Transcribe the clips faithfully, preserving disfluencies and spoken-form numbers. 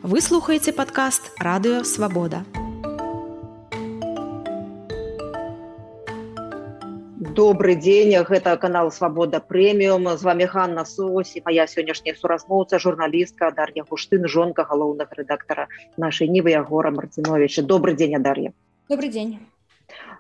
Вы слухаеце падкаст Радыё Свабода. Добрый дзень, гэта канал Свабода Прэміум. З вами Ганна Сось і моя сённяшняя суразмоўца, журналістка Дар'я Гуштын, жонка галоўнага рэдактара нашай Нівы Ягора Марциновича. Добрый дзень, Дар'я. Добрый дзень.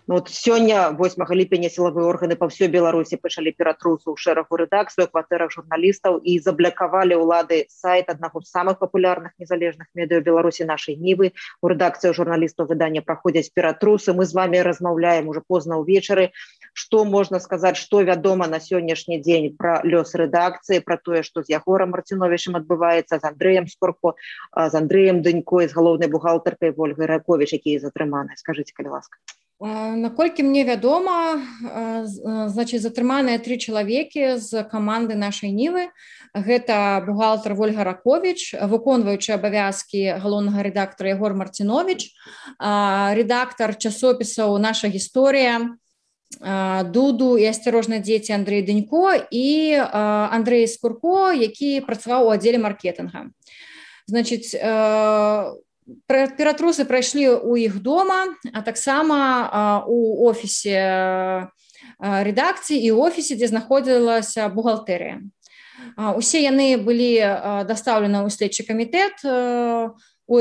Ну, вот сёння, восьмага ліпеня, сілавыя органы па ўсёй Беларусі пачалі ператрусу ў шэрагу рэдакцый, у кватэрах журналістаў і заблакавалі ўлады сайт аднаго з самых папулярных незалежных медыа ў Беларусі нашай Нівы. У рэдакцыі журналістаў выдання праходзяць ператрусы. Мы з вами размаўляем уже позна ўвечары. Што можна сказаць, што вядома на сённяшні дзень пра лёс рэдакцыі, пра тое, што з Ягорам Марциновичем адбываецца, з Андрэем Скорко, з Андрэем Дынько, з галоўнай бухгалтаркай Ольгай Раковіч, якія затрыманыя. Скажыце, калі ласка. Наколькі мне вядома, значит, затрыманыя тры чалавекі з каманды нашай Нівы. Гэта бухгалтар Ольга Раковіч, выконваючы абавязкі галоўнага рэдактара Ягор Марцинович, рэдактар часопісаў «Наша гісторыя», Дуду і «Асцярожна, дзеці» Андрэй Дынько і Андрэй Скорко, які працаваў у аддзеле маркетинга. Значит, ператрусы прайшлі ў іх дома, а таксама у офісе рэдакцыі і ў офісе, дзе знаходзілася бухгалтэрыя. Усе яны былі дастаўлены ў следчы камітэт, у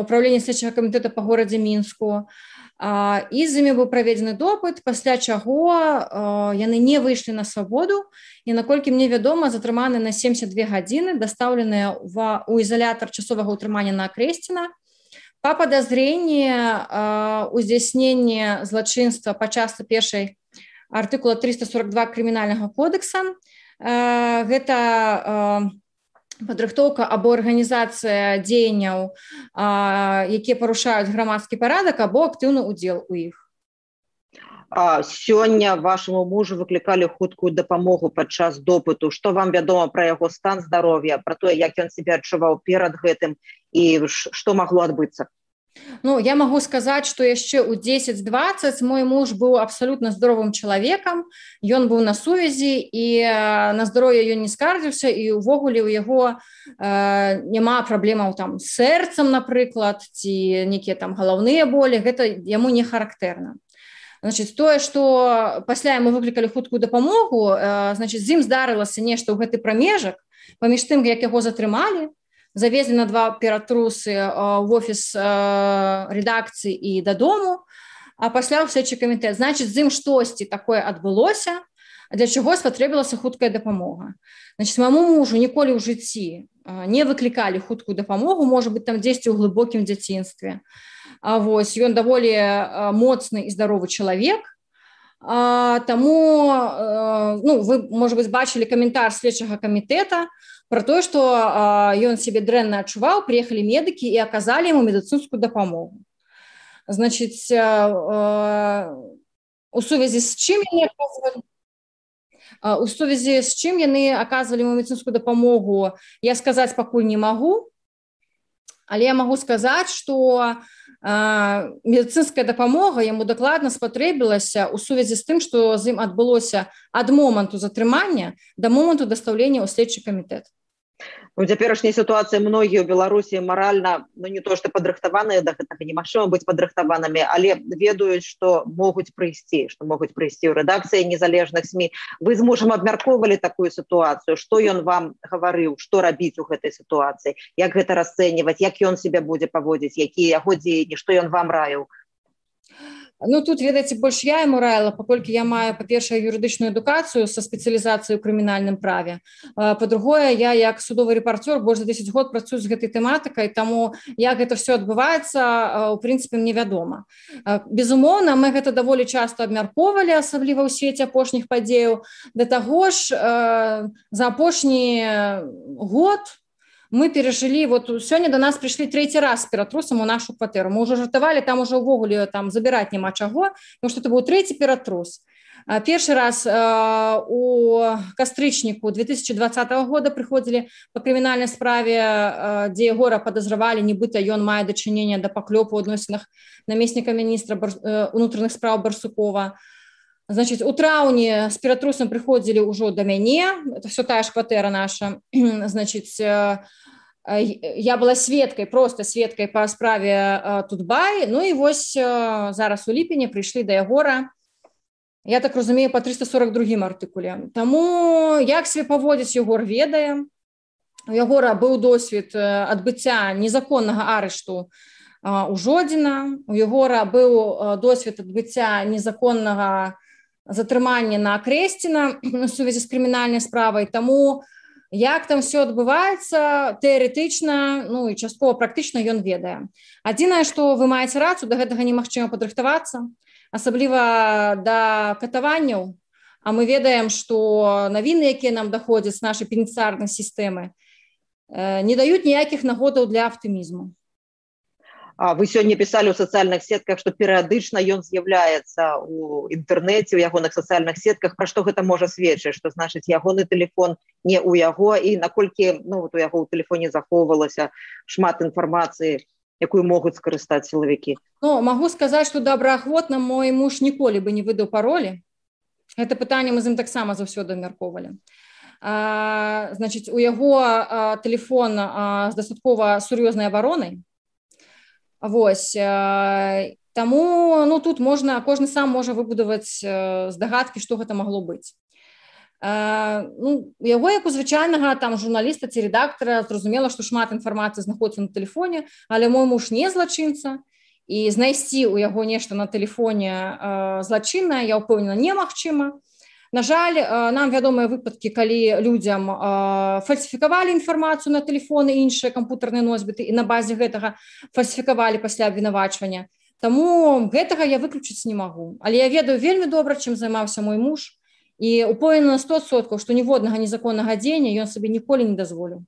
управленні следчага камітэта па горадзе Мінску, і з імі быў праведзены допыт, пасля чаго яны не выйшлі на свабоду, і, наколькі мне вядома, затрыманы на семьдесят две гадзіны, дастаўленыя ў ізалятар часовага ўтрымання на Акрэсціна па падазрэнні ў здзяйсненні злачынства па частцы першай артыкула триста сорок два крымінальнага кодекса. Гэта падрыхтоўка або арганізацыя дзеянняў, якія парушаюць грамадскі парадак, або актыўны ўдзел у іх. А сёння вашаму мужу выклікалі хуткую дапамогу падчас допыту. Што вам вядома пра яго стан здароўя, пра тое, як ён сябе адчуваў перад гэтым і што магло адбыцца? Ну, я могу сказаць, што яшчэ ў дзесяць дваццаць мой муж быў абсалютна здаровым чалавекам, ён быў на сувязі і на здароўе ён не скардзіўся, і ўвогуле ў яго э, няма праблемаў там з сэрцам, напрыклад, ці нейкія там галаўныя болі, гэта яму не характэрна. Значит, тое, што пасля яму выклікалі хуткую дапамогу, э, значит, з ім здарылася нешта ў гэты прамежак, паміж тым, як яго затрымалі, завезли на два ператрусы в офіс редакцыі і дадому, а пасля ў следчы камітэт. Значит, з ім штосьці такое адбылося, для чаго спатрэбілася хуткая дапамога. Значит, маму мужу ніколі ў жыцці не выклікалі хуткую дапамогу, можа быць, там дзесьці ў глыбокім дзяцінстве. А вось, ён даволі моцны і здаровы чалавек, таму, ну, вы, можа быць, бачылі каментар следчага камітэта про тое, што ён сябе дрэнна адчуваў, прыехалі медыкі і аказалі яму медыцынскую дапамогу. Значит, у сувязі з чым яны аказвалі, у сувязі з чым яны аказвалі яму медыцынскую дапамогу, я сказаць пакуль не магу, але я магу сказаць, што медыцынская дапамога яму дакладна спатрэбілася ў сувязі з тым, што з ім адбылося ад моманту затрымання да моманту дастаўлення ў следчы камітэт. У цяперашняй сітуацыі многія ў Беларусі маральна, ну не то што падрыхтаваныя да гэтага, немагчыма быць падрыхтаванымі, але ведаюць, што могуць прыйсці, што могуць прыйсці ў рэдакцыі незалежных СМІ. Вы з мужам абмяркоўвалі такую сітуацыю, што ён вам гаварыў, што рабіць у гэтай сітуацыі, як гэта расцэньваць, як ён сябе будзе паводзіць, якія яго дзеянні, што ён вам раіў? Ну, тут, ведаеце, больш я яму раіла, паколькі я маю, па-першае, юрыдычную адукацыю са спецыялізацыяй у крымінальным праве. Па-другое, я, як судовы рэпарцёр, больш за дзесяць год працую з гэтай тэматыкай, таму як гэта ўсё адбываецца, у прынцыпе, мне вядома. Безумоўна, мы гэта даволі часта абмяркоўвалі, асабліва ў свеце апошніх падзеяў. Да таго ж, за апошні год мы перажылі, вот сёння до нас прыйшлі трэці раз з ператрусам у нашу кватэру. Мы ўжо жартавалі, там ужо ўвогуле там забіраць няма чаго, тому што это быў трэці ператрус. Першы раз у кастрычніку две тысячи двадцатого года прыходзілі па крымінальнай справе, дзе Ягора падазравалі, нібыта ён мае дачыненне да паклёпу ў адносінах намесніка міністра унутраных спраў Барсукова. Значит, у траўні з ператрусам прыходзілі ўжо да мяне, это все тая ж кватэра наша. Значит, я была сведкай, просто сведкай па справе Тутбай, ну і вось зараз у ліпені прыйшлі да Ягора, я так разумею, па трыста сорок другім артыкуле. Таму як себе паводзіць Ягор ведае. У Ягора быў досвед адбыцця незаконнага арышту у Жодзіна, у Ягора быў досвед адбыцця незаконнага затрымання на Акрэсціна у сувязі з крымінальнай справай, таму як там все адбываецца, тэарэтычна, ну і часткова практычна ён ведае. Адзінае, што вы маеце рацыю, да гэтага немагчыма падрыхтавацца, асабліва да катаванняў, а мы ведаем, што навіны, якія нам даходзяць з нашай пенітэнцыярнай сістэмы, не даюць ніякіх нагодаў для аптымізму. Вы сёння пісалі ў сацыяльных сетках, што перыядычна ён з'яўляецца ў інтэрнэце, ў ягоных сацыяльных сетках. Пра што гэта можа сведчыць? Што значыць ягоны тэлефон не ў яго, і наколькі ну, вот у яго ў тэлефоне захоўвалася шмат інфармацыі, якую могуць скарыстаць сілавікі? Ну, магу сказаць, што добраахвотна мой муж ніколі бы не выдаў паролі. Гэта пытанне мы з ім таксама заўсёды абмяркоўвалі. Значыць, у яго а, тэлефон а, з дастаткова сур'ёзнай абаронай. Вось, таму ну, тут можна, кожны сам можа выбудаваць здагадкі, што гэта магло быць. Ну, у яго, як у звычайнага там, журналіста ці рэдактара, зразумела, што шмат інфармацыі знаходзіцца на тэлефоне, але мой муж не злачынца, і знайсці ў яго нешта на тэлефоне злачыннае, я ўпэўнена, немагчыма. На жаль, нам вядомыя выпадкі, калі людзям фальсіфікавалі інфармацыю на тэлефоны і іншыя кампутарныя носьбіты і на базе гэтага фальсіфікавалі пасля абвінавачвання. Таму гэтага я выключыць не магу. Але я ведаю вельмі добра, чым займаўся мой муж, і упэўнена на сто адсоткаў, што ніводнага незаконнага дзеяння ён сабе ніколі не дазволіў.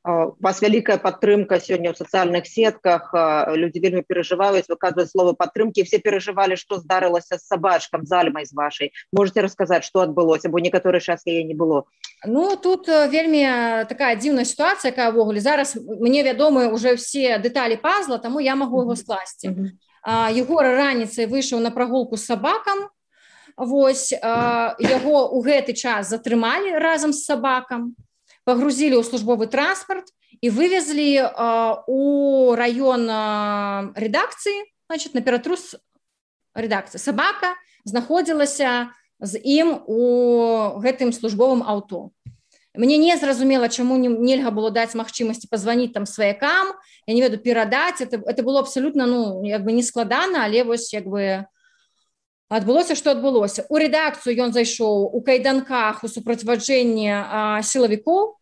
У вас вялікая падтрымка сёння ў сацыяльных сетках, людзі вельмі перажываюць, выказваюць словы падтрымкі, все перажывалі, што здарылася з сабачкам, з Альмай з вашай. Можаце расказаць, што адбылося, бо некаторы час яе не было? Ну, тут вельмі такая дзіўная сітуацыя, якая ўвогуле. Зараз мне вядомы ўжо все дэталі пазла, таму я магу яго скласці. Mm-hmm. Егор раніцай выйшаў на прагулку з сабакам, вось, яго ў гэты час затрымалі разам з сабакам, пагрузілі ў службовы транспарт і вывезлі э, у раён э, рэдакцыі, значит, на ператрус рэдакцыі. Сабака знаходзілася з ім у гэтым службовым аўто. Мне не зразумела, чаму не, нельга было даць магчымасці пазваніць там сваякам, я не ведаю, перадаць. Это, это было абсалютна, ну, як бы не складана, але вось, як бы, адбылося, што адбылося. У рэдакцыю ён зайшоў у кайданках у супроцьваджэнні э, сілавікоў.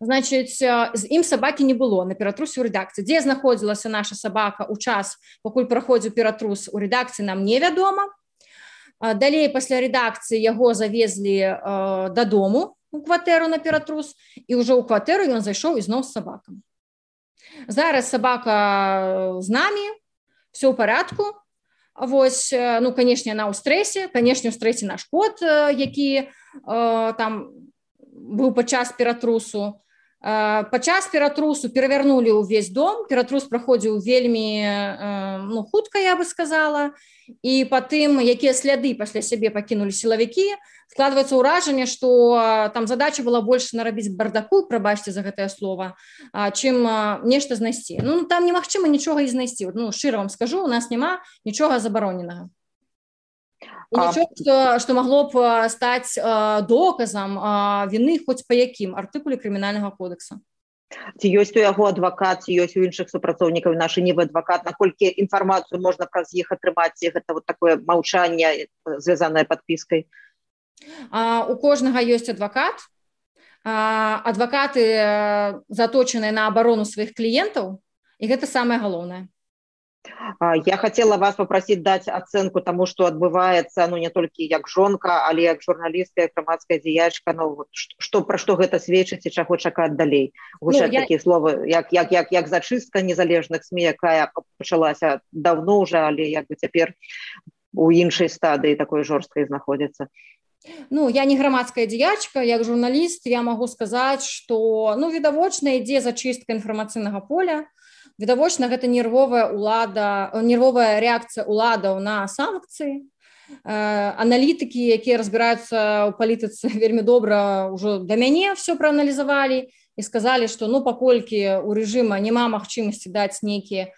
Значыць, з ім сабакі не было на ператрусе ў рэдакцыі. Дзе знаходзілася наша сабака ў час, пакуль праходзіў ператрус у рэдакцыі, нам невядома. Далей, пасля рэдакцыі яго завезлі э, дадому у кватэру на ператрус, і ўжо ў кватэру ён зайшоў ізноў з сабакам. Зараз сабака з намі, все ў парадку. Вось, ну, канешне, яна ў стрэсе, канешне, ў стрэсе наш кот, які э, там быў падчас ператрусу. Падчас ператрусу перавярнулі ўвесь дом, ператрус праходзіў вельмі ну, хутка, я бы сказала, і па тым, якія сляды пасля сябе пакінулі сілавікі, складваецца ўражанне, што там задача была больш нарабіць бардаку, прабачце за гэтае слова, чым нешта знайсці. Ну, там немагчыма нічога і знайсці. Ну, шчыра вам скажу, у нас няма нічога забароненага. І нічого, што, што магло б стаць а, доказам а, віны хоць па якім артыкуле крымінальнага кодекса. Ці ёсць у яго адвакат, ці ёсць у іншых супрацоўнікаў нашы нібы адвакат, наколькі інфармацыю можна праз іх атрымаць, ці гэта вот такое маўчанне, звязанае падпіскай? А, у кожнага ёсць адвакат. А, адвакаты заточаныя на абарону сваіх кліентаў, і гэта самае галоўнае. Я хотела вас попросить дать оценку тому, что отбывается, ну, не только як жонка, але як журналістка, як грамадская дзеячка, ну, вот, что, про что гэта сведчыць і чаго чакаць далей. Гучаць ну, я... такія словы, як, як, як, як зачыстка незалежных СМІ, якая пачалася давно уже, але як бы цяпер у іншай стадыі такой жорсткай знаходзіцца. Ну, я не грамадская дзеячка, як журналіст я могу сказаць, што, ну, відавочна ідзе зачыстка інфармацыйнага поля. Відавочна, гэта нервовая улада, нервовая рэакцыя уладаў на санкцыі. Аналітыкі, якія разбіраюцца ў палітыцы вельмі добра, ўжо да мяне все прааналізавалі. і сказалі, што ну паколькі у рэжыма няма магчымасці даць нейкі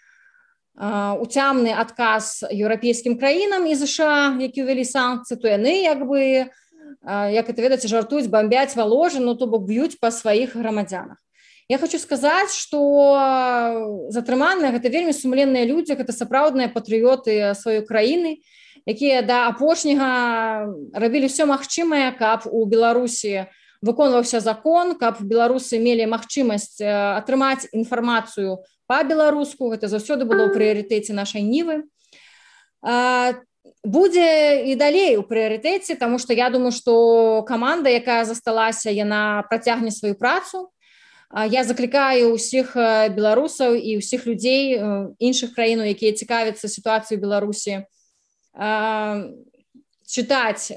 уцямны адказ еўрапейскім краінам і ЗША, які ўвялі санкцыі, то яны як бы, як это ведаеце, жартуюць, бамбяць Валожын, ну то бок б'юць па сваіх грамадзянах. Я хочу сказаць, што затрыманыя гэта вельмі сумленныя людзі, гэта сапраўдныя патрыёты сваёй краіны, якія да апошняга рабілі ўсё магчымае, каб у Беларусі выконваўся закон, каб беларусы мелі магчымасць атрымаць інфармацыю па-беларуску, гэта заўсёды было ў прыярытэце нашай нівы. Будзе і далей у прыярытэце, таму што я думаю, што каманда, якая засталася, яна працягне сваю працу. Я заклікаю ўсіх беларусаў і ўсіх людзей іншых краінаў, якія цікавяцца сітуацыяй у Беларусі, чытаць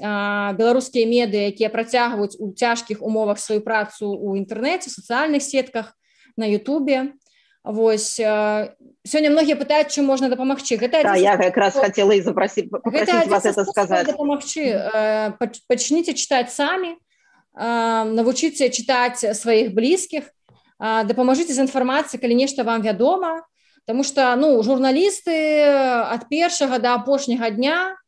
беларускія медыа, якія працягваюць у цяжкіх умовах сваю працу ў інтэрнэце, сацыяльных сетках, на Ютубе. Вось, сёння многія пытаюць, чым можна дапамагчы. Гэта да, я якраз хацела і запрасіць, папросіць вас это сказаць. Дапамагчы. Пачніце чытаць самі, навучыце чытаць сваіх блізкіх, дапамажыце з інфармацыяй, калі нешта вам вядома, таму што ну, журналісты ад першага да апошняга дня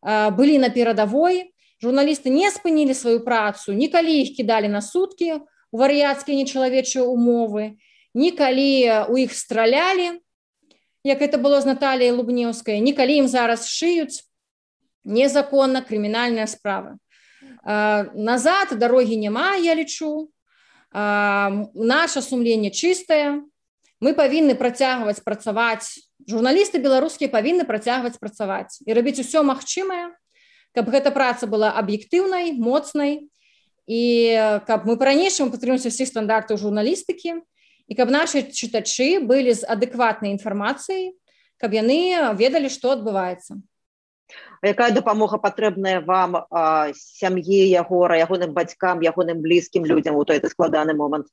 былі на перадавой, журналісты не спынілі сваю працу, ні калі іх кідалі на суткі у вар'яцкія нечалавечыя умовы, ні калі ў іх стралялі, як это было з Наталіяй Лубнеўскай, ні калі ім зараз шыюць незаконна крымінальныя справы. Назад дарогі няма, я лічу. Наша сумленне чыстае. Мы павінны працягваць працаваць, журналісты беларускія павінны працягваць працаваць і рабіць усё магчымае, каб гэта праца была аб'ектыўнай, моцнай і каб мы па-ранейшаму падтрымліваемся ўсіх стандартаў журналістыкі і каб нашы чытачы былі з адэкватнай інфармацыяй, каб яны ведалі, што адбываецца. Якая дапамога патрэбная вам, сям'і Ягора, ягоным бацькам, ягоным блізкім людзям у той складаны момант?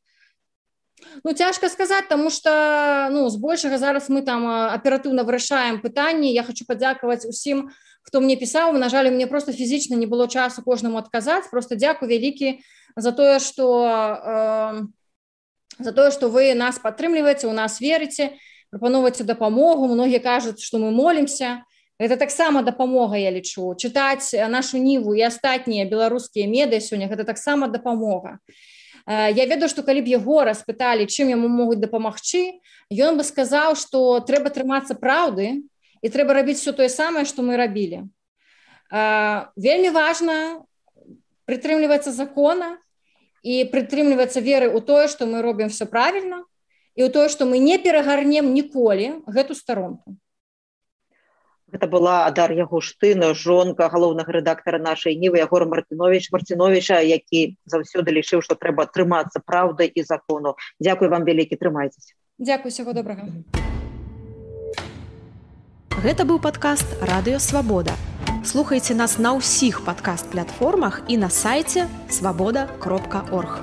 Ну, цяжка сказаць, таму што ну, збольшага зараз мы там аператыўна вырашаем пытанні. Я хочу падзякаваць усім, хто мне пісаў. На жаль, мне просто фізічна не было часу кожнаму адказаць. Просто дзякуй вялікі за тое, што э, за тое, што вы нас падтрымліваеце, у нас верыце, прапаноўваеце дапамогу. Многія кажуць, што мы молімся. Гэта таксама дапамога, я лічу. Чытаць нашу ніву і астатнія беларускія медыа сёння, гэта таксама дапамога. Я ведаю, што калі б Ягора спыталі, чым яму могуць дапамагчы, ён бы сказаў, што трэба трымацца праўды і трэба рабіць все тое самае, што мы рабілі. Вельмі важна прытрымлівацца закона і прытрымлівацца веры ў тое, што мы робім все правільна і ў тое, што мы не перагарнем ніколі гэту старонку. Гэта была Дар'я Гуштын, жонка галоўнага рэдактара нашай нівы Ягора Мартынович, Мартыновича, які заўсёды лічыў, што трэба трымацца праўды і закону. Дзякуй вам вялікі, трымайцеся. Дзякуй, усяго добрага. Гэта быў падкаст Радыё Свабода. Слухайце нас на ўсіх падкаст-платформах і на сайце свабода кропка орг.